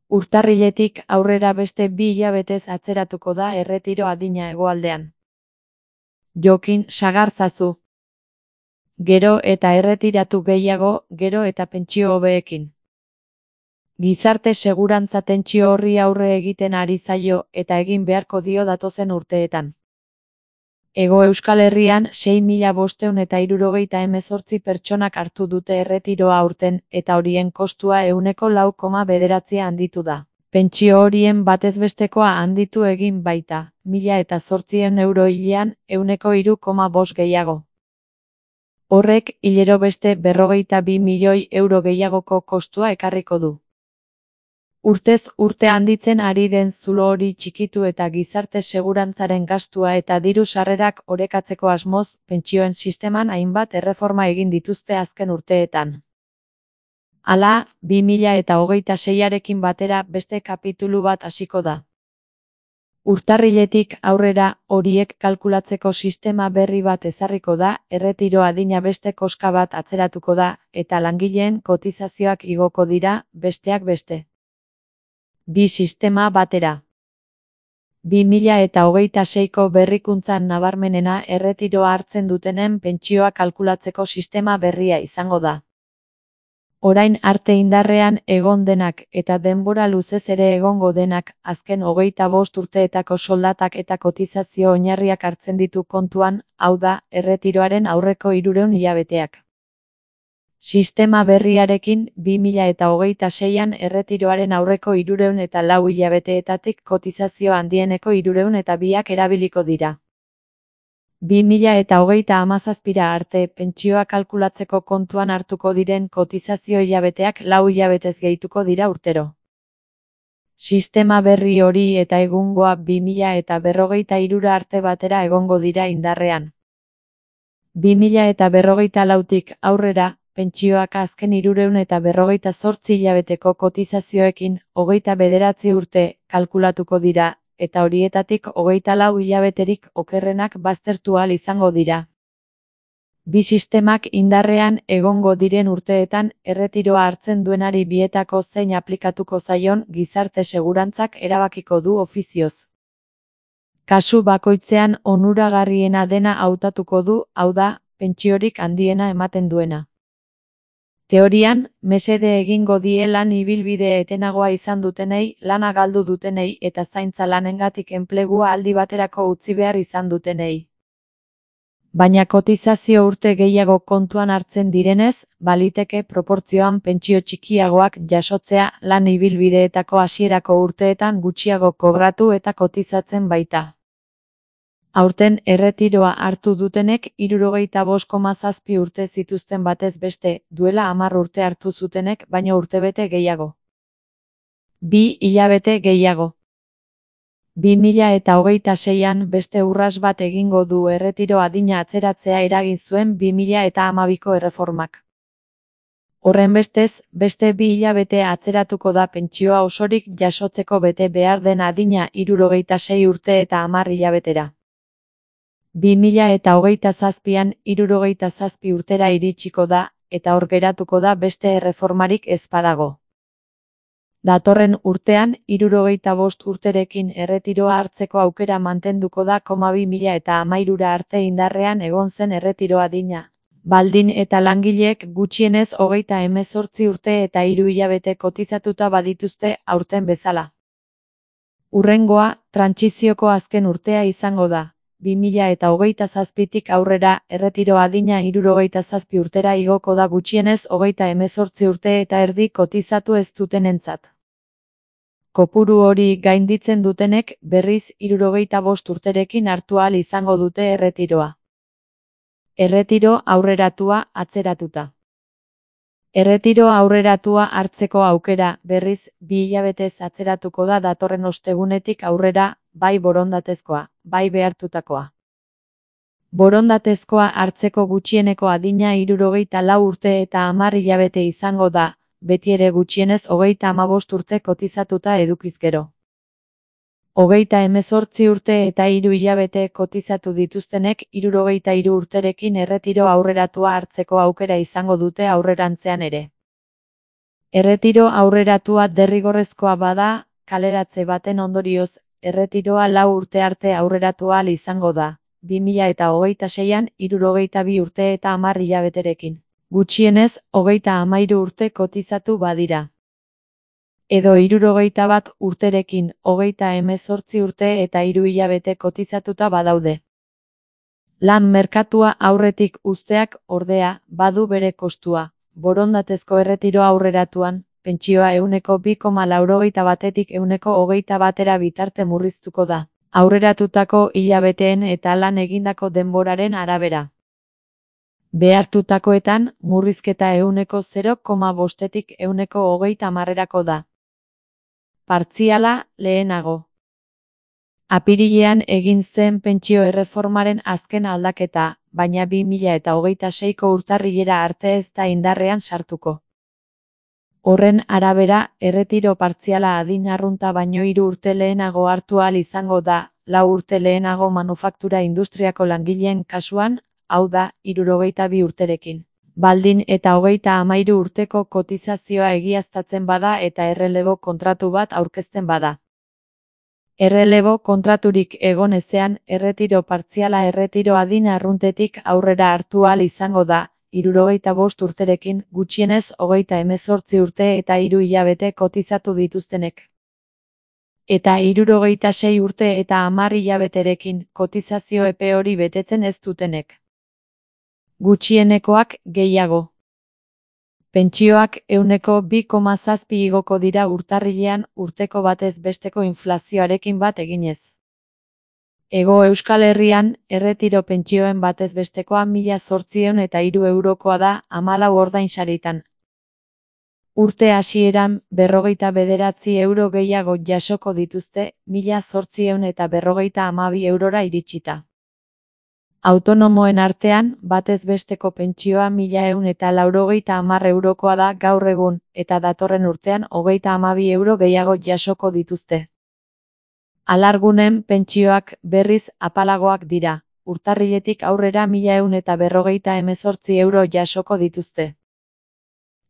Urtarriletik aurrera beste 2 hilabetez atzeratuko da erretiro adina hegoaldean. Jokin sagartzazu. Gero eta erretiratu gehiago, gero eta pentsio hobeekin. Gizarte segurantza tentsio horri aurre egiten ari zaio eta egin beharko dio datozen urteetan. Hego Euskal Herrian 6.578 pertsonak hartu dute erretiroa aurten eta horien kostua 4,9% handitu da. Pentsio horien batezbestekoa handitu egin baita, 1.800 euro hilean 3,5% gehiago. Horrek hilero beste 42 milioi euro gehiagoko kostua ekarriko du. Urtez urte handitzen ari den zulo hori txikitu eta gizarte segurantzaren gastua eta diru sarrerak orekatzeko asmoz, pentsioen sisteman hainbat erreforma egin dituzte azken urteetan. Hala, 2026arekin batera beste kapitulu bat hasiko da. Urtarriletik aurrera horiek kalkulatzeko sistema berri bat ezarriko da, erretiro adina beste koska bat atzeratuko da, eta langileen kotizazioak igoko dira, besteak beste. Bi sistema batera. 2026ko berrikuntzan nabarmenena erretiroa hartzen dutenen pentsioa kalkulatzeko sistema berria izango da. Orain arte indarrean egon denak eta denbora luzez ere egongo denak azken 25 urteetako soldatak eta kotizazio oinarriak hartzen ditu kontuan, hau da, erretiroaren aurreko 300 hilabeteak. Sistema berriarekin 2026an erretiroaren aurreko 304 hilabeteetatik kotizazio handieneko 302ak erabiliko dira. 2027ra arte pentsioa kalkulatzeko kontuan hartuko diren kotizazio hilabeteak 4 hilabetez gehituko dira urtero. Sistema berri hori eta egungoa 2043 arte batera egongo dira indarrean. 2044tik aurrera, pentsioak azken 348 hilabeteko kotizazioekin 29 urte kalkulatuko dira, eta horietatik 24 hilabeterik okerrenak baztertu ahal izango dira. Bi sistemak indarrean egongo diren urteetan erretiroa hartzen duenari bietako zein aplikatuko zaion gizarte segurantzak erabakiko du ofizioz. Kasu bakoitzean onuragarriena dena hautatuko du, hau da, pentsiorik handiena ematen duena. Teorian, mesede egingo die lan ibilbide etenagoa izan dutenei, lana galdu dutenei eta zaintza lanengatik enplegua aldi baterako utzi behar izan dutenei. Baina kotizazio urte gehiago kontuan hartzen direnez, baliteke proportzioan pentsio txikiagoak jasotzea lan ibilbideetako hasierako urteetan gutxiago kobratu eta kotizatzen baita. Aurten erretiroa hartu dutenek 75,7 urte zituzten batez beste, duela 10 urte hartu zutenek baino urtebete gehiago. 2 hilabete gehiago. 2026an beste urras bat egingo du erretiro adina atzeratzea eragin zuen 2012ko erreformak. Horrenbestez, beste 2 hilabete atzeratuko da pentsioa osorik jasotzeko bete behar den adina 66 urte eta 10 hilabetera. 2027an 67 urtera iritsiko da, eta hor geratuko da beste erreformarik ez badago. Datorren urtean, 75 urterekin erretiroa hartzeko aukera mantenduko da 2013 arte indarrean egon zen erretiro adina. Baldin eta langileek gutxienez 38 urte eta 3 hilabete kotizatuta badituzte aurten bezala. Hurrengoa, trantsizioko azken urtea izango da. 2027tik aurrera, erretiro adina 67 urtera igoko da gutxienez 38 urte eta erdi kotizatu ez dutenentzat. Kopuru hori gainditzen dutenek berriz 75 urterekin hartu ahal izango dute erretiroa. Erretiro aurreratua atzeratuta. Erretiro aurreratua hartzeko aukera berriz 2 hilabetez atzeratuko da datorren ostegunetik aurrera, bai borondatezkoa, bai behartutakoa. Borondatezkoa hartzeko gutxieneko adina 64 urte eta 10 hilabete izango da, beti ere gutxienez 35 urte kotizatuta edukiz gero. 38 urte eta 3 hilabete kotizatu dituztenek 63 urterekin erretiro aurreratua hartzeko aukera izango dute aurrerantzean ere. Erretiro aurreratua derrigorrezkoa bada, kaleratze baten ondorioz, erretiroa 4 urte arte aurreratu ahal izango da, 2026an 62 urte eta 10 hilabeterekin. Gutxienez, 33 urte kotizatu badira. Edo 61 urterekin, 38 urte eta 3 hilabete kotizatuta badaude. Lan merkatua aurretik uzteak, ordea, badu bere kostua. Borondatezko erretiro aurreratuan, pentsioa 2,81etik 1,21 bitarte murriztuko da, aurreratutako hilabeteen eta lan egindako denboraren arabera. Behartutakoetan, murrizketa 0,5etik 1,30erako da. Partziala, lehenago. Apirilean egin zen pentsio erreformaren azken aldaketa, baina 2026ko urtarrilera arte ez da indarrean sartuko. Horren arabera, erretiro partziala adin arrunta baino 3 urte lehenago hartu ahal izango da, 4 urte lehenago manufaktura industriako langileen kasuan, hau da, 62 urterekin. Baldin eta 33 urteko kotizazioa egiaztatzen bada eta errelebo kontratu bat aurkezten bada. Errelebo kontraturik egon ezean, erretiro partziala erretiro adin arruntetik aurrera hartu ahal izango da, 65 urterekin, gutxienez 38 urte eta 3 hilabete kotizatu dituztenek. Eta 66 urte eta 10 hilabeterekin, kotizazio epe hori betetzen ez dutenek. Gutxienekoak gehiago. Pentsioak 2,7 igoko dira urtarrilean urteko batez besteko inflazioarekin bat eginez. Hego Euskal Herrian, erretiro pentsioen batez bestekoa 1.803 eurokoa da 14 ordainsaritan. Urte hasieran 59 euro gehiago jasoko dituzte, 1.852 eurora iritsita. Autonomoen artean, batez besteko pentsioa 1.190 eurokoa da gaur egun, eta datorren urtean 32 euro gehiago jasoko dituzte. Alargunen pentsioak berriz apalagoak dira, urtarriletik aurrera 1.158 euro jasoko dituzte.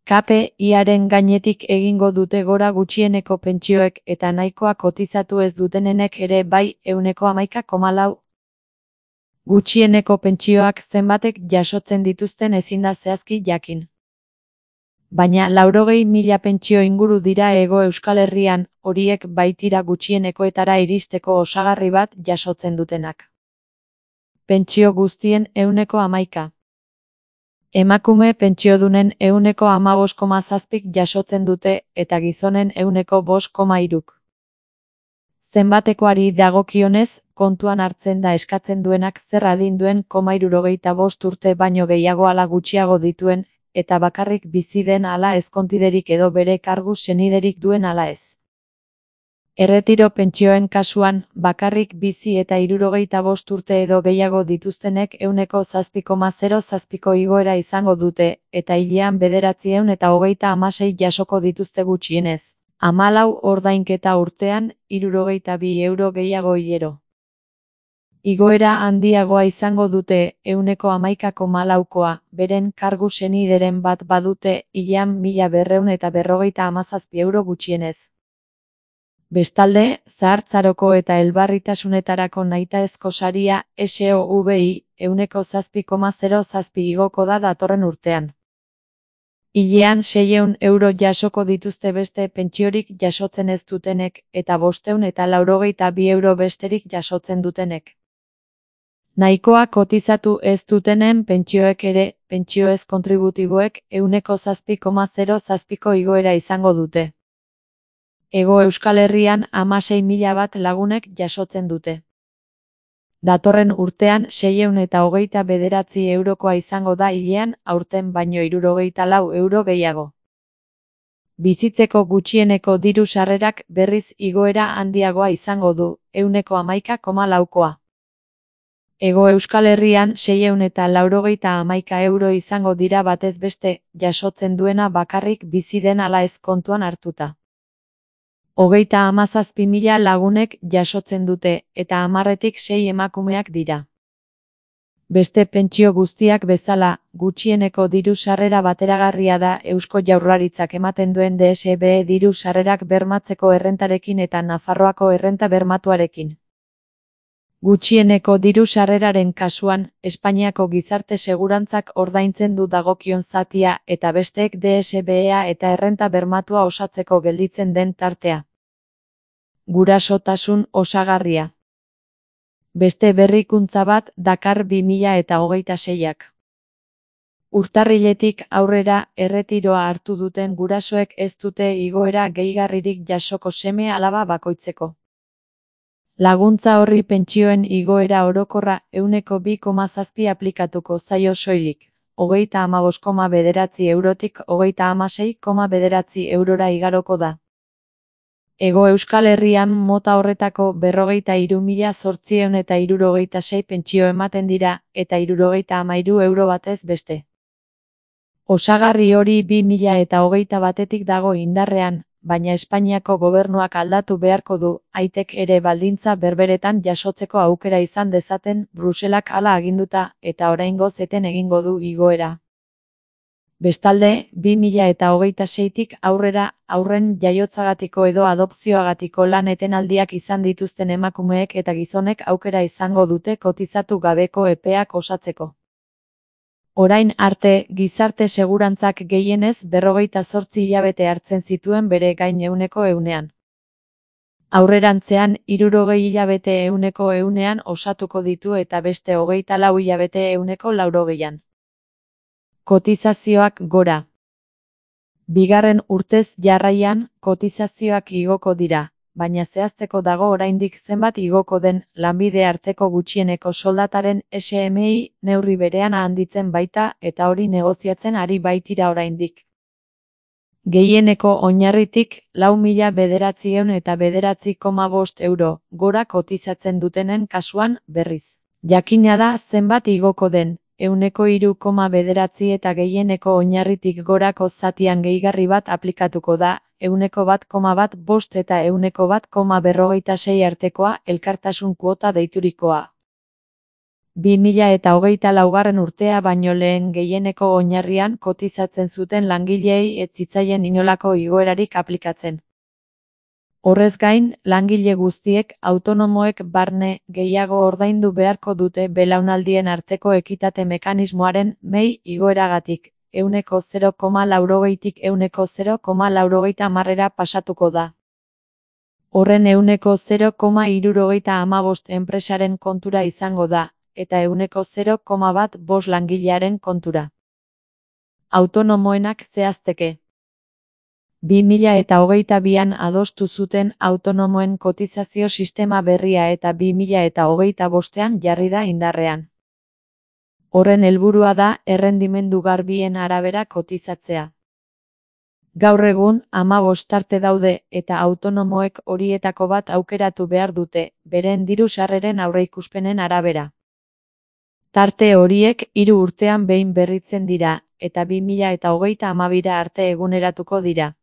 KPI-aren gainetik egingo dute gora gutxieneko pentsioek eta nahikoa kotizatu ez dutenenek ere bai 11,4. Gutxieneko pentsioak zenbatek jasotzen dituzten ezin da zehazki jakin. Baina 80.000 pentsio inguru dira Hego Euskal Herrian, horiek baitira gutxienekoetara iristeko osagarri bat jasotzen dutenak. Pentsio guztien 11,1. Emakume pentsiodunen 15,7 jasotzen dute eta gizonen 5,3. Zenbatekoari dagokionez, kontuan hartzen da eskatzen duenak zer adin duen 75 urte baino gehiago ala gutxiago dituen, eta bakarrik bizi den ala ezkontiderik edo bere kargu seniderik duen ala ez. Erretiro pentsioen kasuan, bakarrik bizi eta 65 urte edo gehiago dituztenek 7,07ko igoera izango dute, eta hilean 936 jasoko dituzte gutxienez. 14 ordainketa urtean, 62 euro gehiago hilero. Igoera handiagoa izango dute 11,4koa, beren kargu senideren bat badute hilean 1.257 euro gutxienez. Bestalde, zahartzaroko eta elbarritasunetarako nahitaezko saria SOVI 7,07 igoko da datorren urtean. Hilean 600 euro jasoko dituzte beste pentsiorik jasotzen ez dutenek, eta 582 euro besterik jasotzen dutenek. Nahikoa kotizatu ez dutenen pentsioek ere, pentsio ez kontributiboek 7,07ko igoera izango dute. Hego Euskal Herrian 16.000 bat lagunek jasotzen dute. Datorren urtean 629 eurokoa izango da hilean, aurten baino 64 euro gehiago. Bizitzeko gutxieneko diru sarrerak berriz igoera handiagoa izango du, 11,4koa. Hego Euskal Herrian 691 euro izango dira batez beste, jasotzen duena bakarrik bizi den ala ez kontuan hartuta. 37.000 lagunek jasotzen dute, eta 10etik 6 emakumeak dira. Beste pentsio guztiak bezala, gutxieneko diru sarrera bateragarria da Eusko Jaurlaritzak ematen duen DSB diru sarrerak bermatzeko errentarekin eta Nafarroako errenta bermatuarekin. Gutxieneko diru sarreraren kasuan, Espainiako gizarte segurantzak ordaintzen du dagokion zatia eta besteek DSB-a eta errenta bermatua osatzeko gelditzen den tartea. Gurasotasun osagarria. Beste berrikuntza bat dakar 2026ak. Urtarriletik aurrera erretiroa hartu duten gurasoek ez dute igoera gehigarririk jasoko seme-alaba bakoitzeko. Laguntza horri pentsioen igoera orokorra 2,7 aplikatuko zaio soilik, 35,9 eurotik 36,9 eurora igaroko da. Hego Euskal Herrian mota horretako 43.866 pentsio ematen dira, eta 73 euro batez beste. Osagarri hori 2021etik dago indarrean, baina Espainiako gobernuak aldatu beharko du, aitek ere baldintza berberetan jasotzeko aukera izan dezaten, Bruselak hala aginduta, eta oraingoz eten egingo du igoera. Bestalde, 2026tik aurrera, haurren jaiotzagatiko edo adopzioagatiko lan etenaldiak izan dituzten emakumeek eta gizonek aukera izango dute kotizatu gabeko epeak osatzeko. Orain arte, gizarte segurantzak gehienez 48 hilabete hartzen zituen bere gain 100%. Aurrerantzean, 60 hilabete 100%an osatuko ditu eta beste 24 hilabete 180%an. Kotizazioak gora. Bigarren urtez jarraian, kotizazioak igoko dira, baina zehazteko dago oraindik zenbat igoko den, lanbide arteko gutxieneko soldataren SMI neurri berean handitzen baita eta hori negoziatzen ari baitira oraindik. Gehieneko oinarritik 4.909,5 euro gora kotizatzen dutenen kasuan, berriz. Jakina da zenbat igoko den, 3,9 eta gehieneko oinarritik gorako zatian gehigarri bat aplikatuko da, 1,1 eta 1,46 artekoa elkartasun kuota deiturikoa. 2024 urtea baino lehen gehieneko oinarrian kotizatzen zuten langileei ez zitzaien inolako igoerarik aplikatzen. Horrez gain, langile guztiek, autonomoek barne, gehiago ordaindu beharko dute belaunaldien arteko ekitate mekanismoaren mei igoeragatik, 0,80tik 0,90 pasatuko da. Horren 0,75 enpresaren kontura izango da, eta 0,15 langilearen kontura. Autonomoenak zehazteke. 2022an adostu zuten autonomoen kotizazio sistema berria eta 2025ean jarri da indarrean. Horren helburua da errendimendu garbien arabera kotizatzea. Gaur egun, 15 tarte daude eta autonomoek horietako bat aukeratu behar dute, beren diru sarreren aurreikuspenen arabera. Tarte horiek 3 urtean behin berritzen dira, eta 2032 arte eguneratuko dira.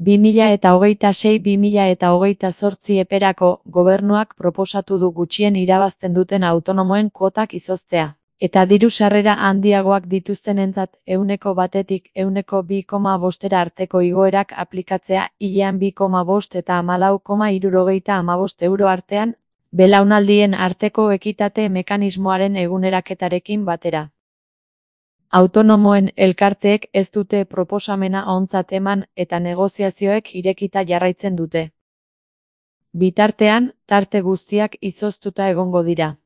2026-2028 eperako, gobernuak proposatu du gutxien irabazten duten autonomoen kuotak izoztea, eta diru sarrera handiagoak dituztenentzat 1%tik 2,5 arteko igoerak aplikatzea hilean 2,5 eta 14,75 euro artean, belaunaldien arteko ekitate mekanismoaren eguneraketarekin batera. Autonomoen elkarteek ez dute proposamena ontzat eman eta negoziazioek irekita jarraitzen dute. Bitartean, tarte guztiak izoztuta egongo dira.